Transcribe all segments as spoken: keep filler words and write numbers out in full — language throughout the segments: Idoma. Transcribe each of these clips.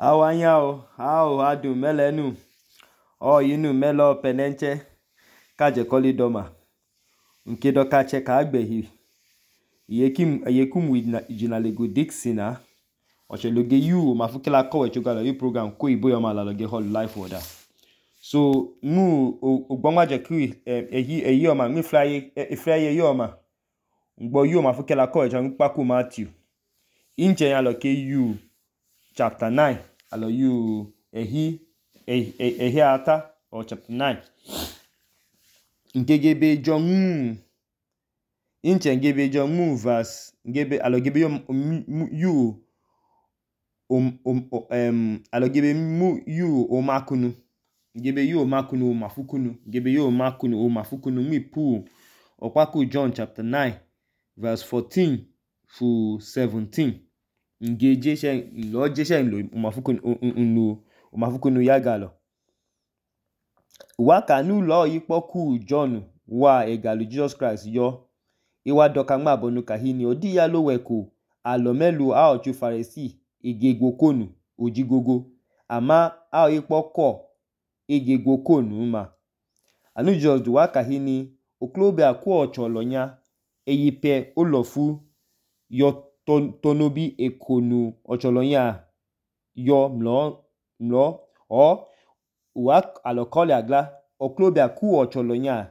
Awanyao, ao adu melenu, o yinu melo penenche, kaje koli doma. Nke doka che ka agbehi. Yekim yekum jinalego Dixina. Oche loge you mafukela kowe chugala you program ko ibo yoma la loge hall life order. So mu ogbonwa je ku ehi ehi yoma mi fly e fly yoma. Ngbo you mafukela kowe chan paku Matthew. Inche ya loke you chapter nine. Alo you ehi ehi ehi ata or chapter nine. Ngegebe John Inche ngebe John mu verse ngebe alo gebe you um um um alo gebe mu you o makunu ngebe you o makunu o mafukunu ngebe you o makunu o mafukunu mi pu okwaku John chapter nine verse fourteen to seventeen. Ngeje she lo je she lo umafukunu unu umafukunu yagalo. Waka nu lo yipoku John wa egalu Jesus Christ yo. Iwa doka ngba bonu kahini odi ya lo weku alomelu a ochu Pharisee igegokonu ojigogo ama a yipoko igegokonu ma. Anu Jesus du waka hini oklobe akwo ocholonya eyipe olofu yo ton, tonobi ekonu ocholonya yo mlo mlo o wa alokole agla oklobe akwo ocholonya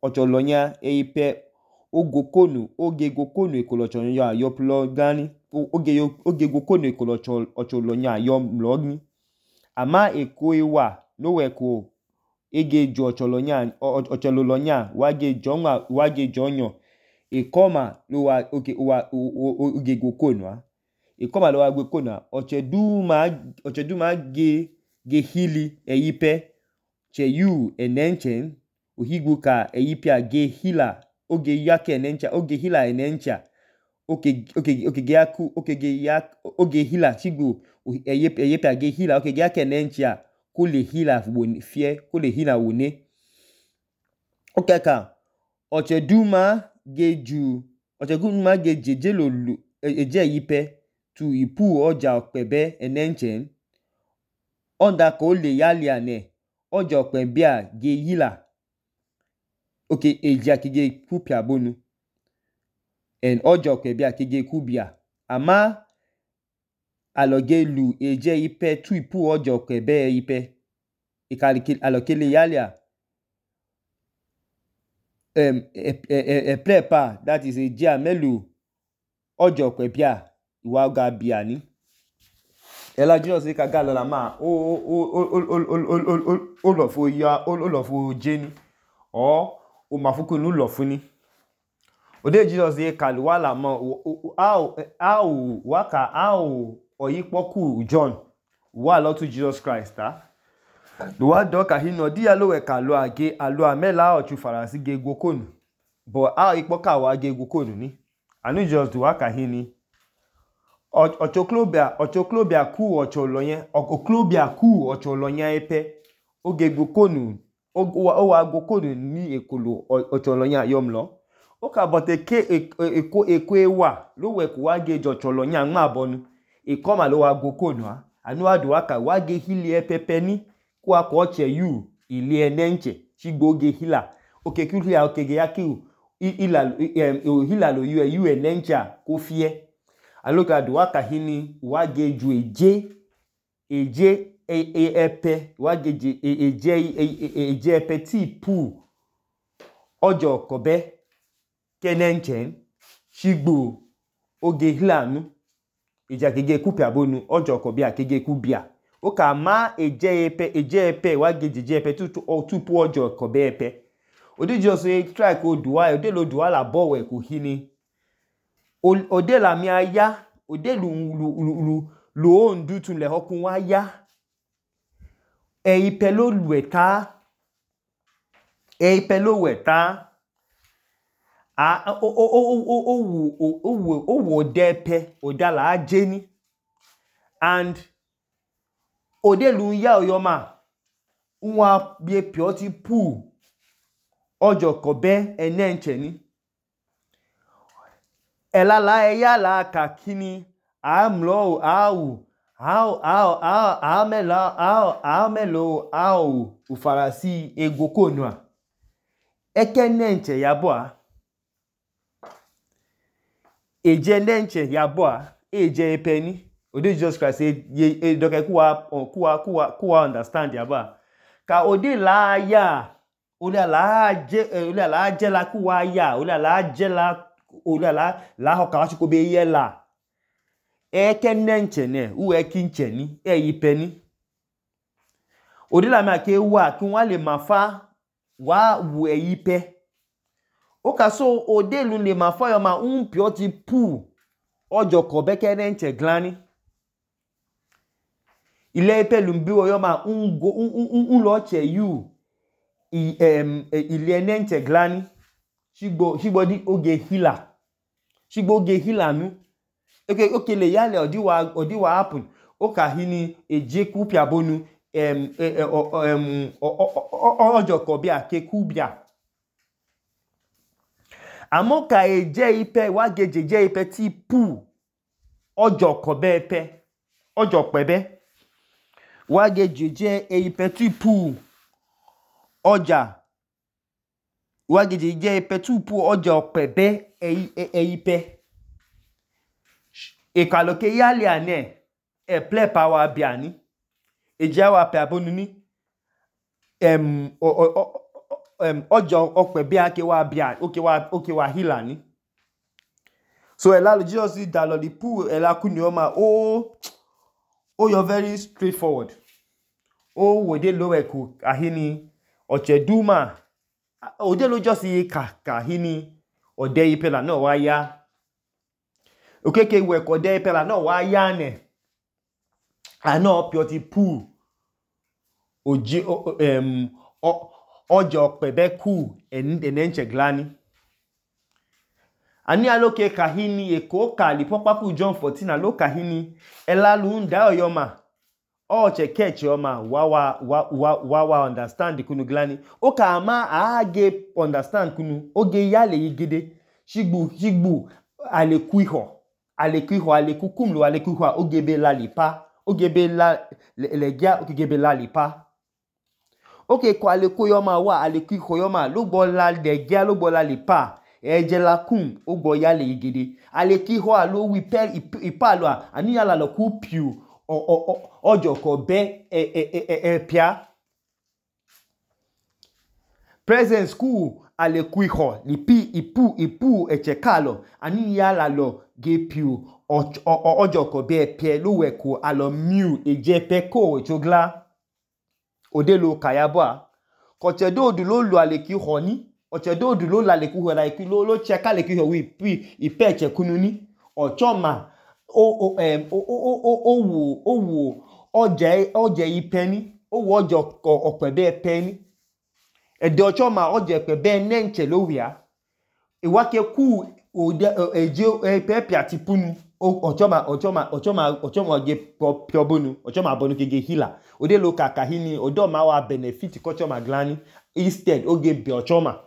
ocholonya eyipe ogokonu ogegokonu ekolocholonya yo plo gani oge ogegokonu ekolocholonya yo mlogni ama eko iwa no weko ege jo ocholonya ochololonya wage jonwa wage jonyo ekoma lo wa oke wa ogegokonu a ekoma lo wa gbekonu ochedu ma ochedu ma ge ge hili eyipe che you enenchen ohigbuka eyipia ge hila oge yake enencha oge hila enencha oke oke oke ge yaku oke ge yak oge hila chigbu eyip eyipia ge hila oke ge yake enencha kule hila fie kule hila wone okeka ocheduma geju ocheduma gejeje lolu eje yipe tu ipu oja okpebe enenchen onda ko le yaliane oja okpebia ge hila oke eja kige kupia bonu en oja okpebia kige kubia ama aloge lu eje yipe tu ipu oja okpebe yipe ikali alokele yalia um e e prepa that is eje amelu oja okpebia iwa ga bia ni ela Jesus ka ga lola ma o o o o o lo fo ya o lo fo jeni o o mafukunu lo funi ode Jesus ye kalu wala mo how how waka how oyipoku John wa lo to Jesus Christ ta do wa doka hino di ya lo we kalu age alu amela ochu Pharisee ge gokonu but how ipoka wa ge gokonu ni anu Jesus do waka hini ochoklobia ochoklobia ku ocholoyen oklobia ku ocholoyen epe oge gokonu o wa gokonu ni ekolo ocholoyen yomlo oka but eke eko eko ewa lo we ku wa ge ocholoyen nma bonu ikoma lo wa gokonu a anu wa do waka wa ge hili epepe ni ku akọ oche you ile enenche chigbo ge hila oke kuhia oke ge yakiu ila hila lo you you enencha ko fie aloka do waka hini wa ge ju eje eje epe wa ge eje eje epe ti pu ojo kobe kenenchen chigbo oge hilanu eja kege kupia bonu ojo kobe akege kubia oka ma eje epe eje epe wa ge eje epe tu tu pu ojo kobe epe odi Jesus e try ko duwa ode lo duwa la bowe ko hini ode la mi aya ode lu lu lu lu ondu tun le hokun wa ya e ipe lo lueta e ipe lo weta a o o o o o wo o wo o wo depe odala ajeni and ode lu ya oyoma nwa bie pio ti pu ojo kobe enenche ni elala eya la kakini amlo au How how how how melo how how melo how ufarasi ego konua. Eke nenche yaboa. Eje nenche yaboa. Eje epeni. Ode Jesus Christ e doke kuwa kuwa kuwa kuwa understand yaboa. Ka ode la ya. Ode la je ode la je la kuwa ya. Ode la je la ode la la hoka wachi kobe ye la. Eke nenche ne. U eki nche ni. E ipeni. Ode la me ake wa. Ki wale mafa. Wa wu e ipe. Oka so ode lu le mafa yo ma un pioti pu. Ojo kobeke nenche glani. Ile ipe lumbiwo yo ma un go un un un lo che yu. I em ile nenche glani. Shigbo shigbo di oge hila. Shigbo oge hila nu. Okay, okay, le yale odiwa odiwa happen. Oka hini eje kupia bonu em em ojo kobia ke kubia. Amoka eje ipe wageje je ipe ti pu ojo kobe ipe ojo pebe wageje je ipe ti pu oja wageje je ipe ti pu ojo pebe e e ipe ekaloke yale ane e ple power biani eje wa pe abonu ni em o Um, ojo okpe bia ke wa bia oke wa oke wa hila ni. So ela lo Jesus is da lo di pu ela kuni o ma o o you're very straightforward. O wode lo eku ahini oche duma ode lo just yi ka ka hini ode ipela no wa ya. Okeke we ko ode ipela no wa ya ne. Ano pioti pu oji um o ojo pebe ku enenche glani. Ani aloke kahini eko kali popapu John fourteen aloka hini elalu nda oyoma. O che catch yoma wawa wawa wawa understand kunu glani. Oka ama age understand kunu oge yale yigede. Shigbu shigbu ale kuiho. Ale kuiho ale kukumlu ale kuiho ogebe lalipa. Ogebe la legia ogebe lalipa. Okay, kwa aleko yoma wa aleko iko yoma lugbo la degia lugbo la lipa eje la kum ogbo yale igede aleki ho alo wi per ipalo a ani yala lo ku piu ojo ko be e e e e pia presence ku aleku iho lipi ipu ipu echekalo ani yala lo ge piu ojo ko be pie luwe ko alo miu eje pe ko echogla. Odelo kayabwa kochedo odu lo lu aleki honi ochedo odu lo la leku ho la lo lo cheka leki ho wi pi ipe chekununi ochoma o o em o o o o wo o wo oje oje ipeni o wo ojo opebe peni ede ochoma oje pebe nenche lo wia iwake ku ode eje epepe atipunu ochoma ochoma ochoma ochoma oge piobonu ochoma bonu kege hila ode lo kaka hini odo ma wa benefit kochoma glani instead oge bi ochoma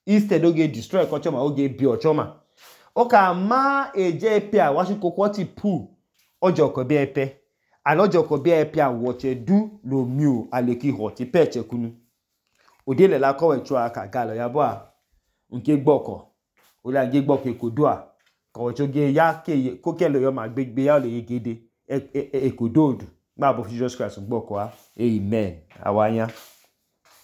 instead oge destroy kochoma oge bi ochoma oka ma eje epe a washi kokoti pu ojo ko bi epe an ojo ko bi epe a woche du lo miu aleki hoti peche kunu ode le la kowe chu aka galo yabo nke gboko ode age gboko ekodoa ko choge ya ke ko kelo yo ma gbegbe ya le yegede ekododu gba bo Jesus Christ gboko a amen awanya.